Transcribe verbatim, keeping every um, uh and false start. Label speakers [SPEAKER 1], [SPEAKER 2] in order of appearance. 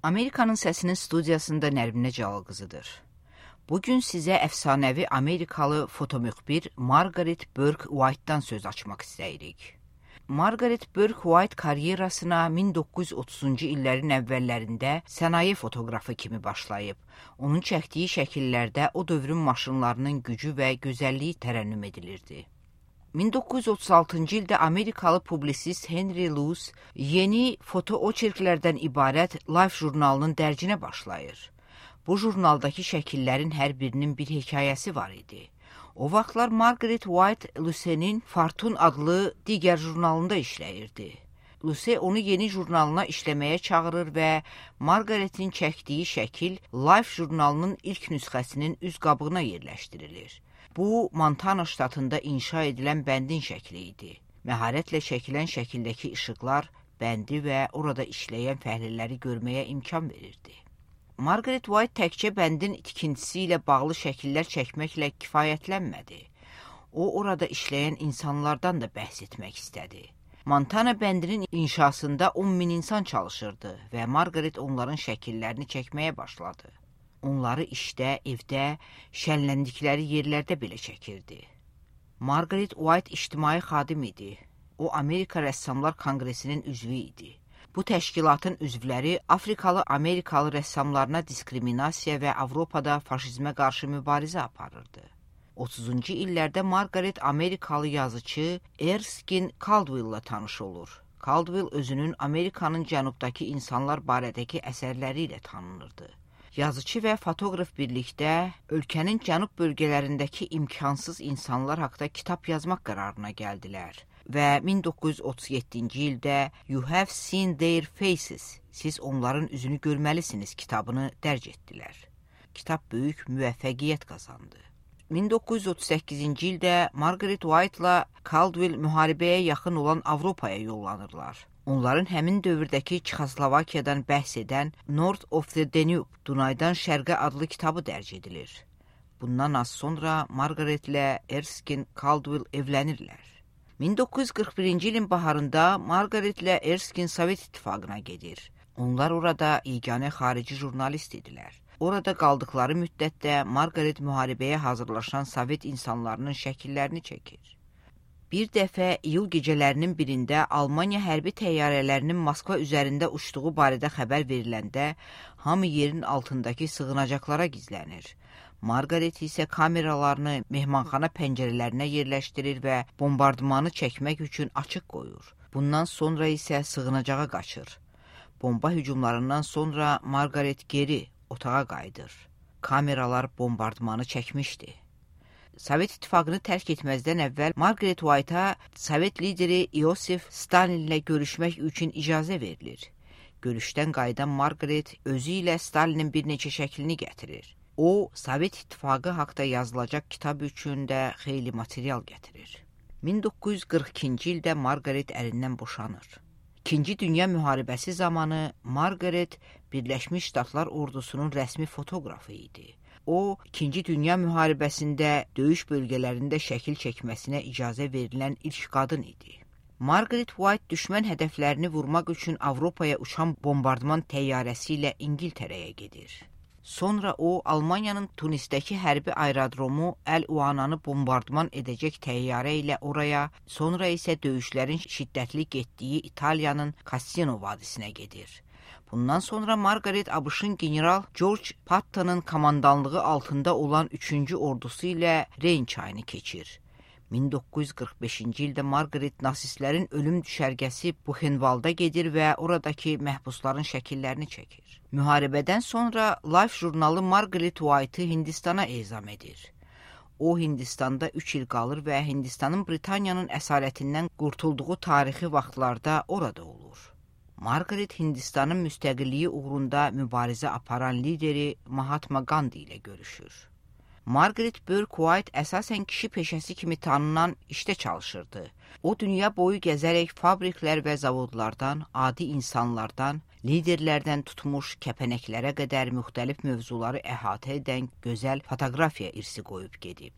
[SPEAKER 1] Amerikanın Səsinin studiyasında Nərminə Cəlal qızıdır. Bugün sizə əfsanəvi Amerikalı fotomüxbir Margaret Burke White'dan söz açmaq istəyirik. Margaret Burke White karyerasına min doqquz yüz otuzuncu illərin əvvəllərində sənaye fotoqrafı kimi başlayıb. Onun çəkdiyi şəkillərdə o dövrün maşınlarının gücü və gözəlliyi tərənnüm edilirdi. min doqquz yüz otuz altıncı ildə Amerikalı publisist Henry Luce yeni foto oçerklərdən ibarət Life jurnalının dərcinə başlayır. Bu jurnaldakı şəkillərin hər birinin bir hekayəsi var idi. O vaxtlar Margaret White Luce'nin Fortune adlı digər jurnalında işləyirdi. Luce onu yeni jurnalına işləməyə çağırır və Margaret'in çəkdiyi şəkil Life jurnalının ilk nüsxəsinin üz qabığına yerləşdirilir. Bu, Montana ştatında inşa edilən bəndin şəkli idi. Məharətlə çəkilən şəkildəki işıqlar bəndi və orada işləyən fəhlələri görməyə imkan verirdi. Margaret White təkcə bəndin tikintisi ilə bağlı şəkillər çəkməklə kifayətlənmədi. O, orada işləyən insanlardan da bəhs etmək istədi. Montana bəndinin inşasında on min insan çalışırdı və Margaret onların şəkillərini çəkməyə başladı. Onları işdə, evdə, şənləndikləri yerlərdə belə çəkirdi. Margaret White ictimai xadim idi. O, Amerika Rəssamlar Konqresinin üzvü idi. Bu təşkilatın üzvləri Afrikalı-Amerikalı rəssamlarına diskriminasiya və Avropada faşizmə qarşı mübarizə aparırdı. otuzuncu illərdə Margaret Amerikalı yazıcı Erskine Caldwell-la tanış olur. Caldwell özünün Amerikanın cənubdakı insanlar barədəki əsərləri ilə tanınırdı. Yazıcı və fotoqraf birlikdə ölkənin cənub bölgələrindəki imkansız insanlar haqqında kitab yazmaq qərarına gəldilər və min doqquz yüz otuz yeddinci ildə You Have Seen Their Faces, siz onların üzünü görməlisiniz kitabını dərc etdilər. Kitab böyük müvəffəqiyyət qazandı. min doqquz yüz otuz səkkizinci ildə Margaret White'la Caldwell müharibəyə yaxın olan Avropaya yollanırlar. Onların həmin dövrdəki Çexoslovakiyadan bəhs edən North of the Danube, Dunaydan Şərqə adlı kitabı dərc edilir. Bundan az sonra Margaretlə Erskine Caldwell evlənirlər. min doqquz yüz qırx birinci ilin baharında Margaretlə Erskine Sovet İttifaqına gedir. Onlar orada yeganə xarici jurnalist idilər. Orada qaldıqları müddətdə Margaret müharibəyə hazırlaşan Sovet insanlarının şəkillərini çəkir. Bir dəfə iyul gecələrinin birində Almaniya hərbi təyyarələrinin Moskva üzərində uçduğu barədə xəbər veriləndə hamı yerin altındakı sığınacaqlara gizlənir. Margaret isə kameralarını mehmanxana pəncərələrinə yerləşdirir və bombardımanı çəkmək üçün açıq qoyur. Bundan sonra isə sığınacağa qaçır. Bomba hücumlarından sonra Margaret geri otağa qayıdır. Kameralar bombardımanı çəkmişdi. Sovet İttifaqını tərk etməzdən əvvəl Margaret White'a Sovet lideri Iosif Stalinlə görüşmək üçün icazə verilir. Görüşdən qayıdan Margaret özü ilə Stalinin bir neçə şəklini gətirir. O, Sovet İttifaqı haqda yazılacaq kitab üçün də xeyli material gətirir. min doqquz yüz qırx ikinci ildə Margaret ərindən boşanır. İkinci Dünya müharibəsi zamanı Margaret Birləşmiş Ştatlar ordusunun rəsmi fotoqrafı idi. O, İkinci Dünya müharibəsində döyüş bölgələrində şəkil çəkməsinə icazə verilən ilk qadın idi. Margaret White düşmən hədəflərini vurmaq üçün Avropaya uçan bombardıman təyyarəsi ilə İngiltərəyə gedir. Sonra o, Almaniyanın Tunisdəki hərbi aerodromu Əl-Uananı bombardıman edəcək təyyarə ilə oraya, sonra isə döyüşlərin şiddətli getdiyi İtaliyanın Cassino vadisinə gedir. Bundan sonra Margaret A B Ş'ın general George Patton'ın komandanlığı altında olan üçüncü ordusu ilə Reyn çayını keçir. min doqquz yüz qırx beşinci ildə Margaret nasistlərin ölüm düşərgəsi Buchenwald'a gedir və oradakı məhbusların şəkillərini çəkir. Müharibədən sonra Life jurnalı Margaret White'ı Hindistana ezam edir. O, Hindistanda üç il qalır və Hindistanın Britaniyanın əsarətindən qurtulduğu tarixi vaxtlarda orada olur. Margaret Hindistanın müstəqilliyi uğrunda mübarizə aparan lideri Mahatma Gandhi ilə görüşür. Margaret Burke White əsasən kişi peşəsi kimi tanınan işdə çalışırdı. O, dünya boyu gəzərək fabriklər və zavodlardan, adi insanlardan, liderlərdən tutmuş kəpənəklərə qədər müxtəlif mövzuları əhatə edən gözəl fotoqrafiya irsi qoyub gedib.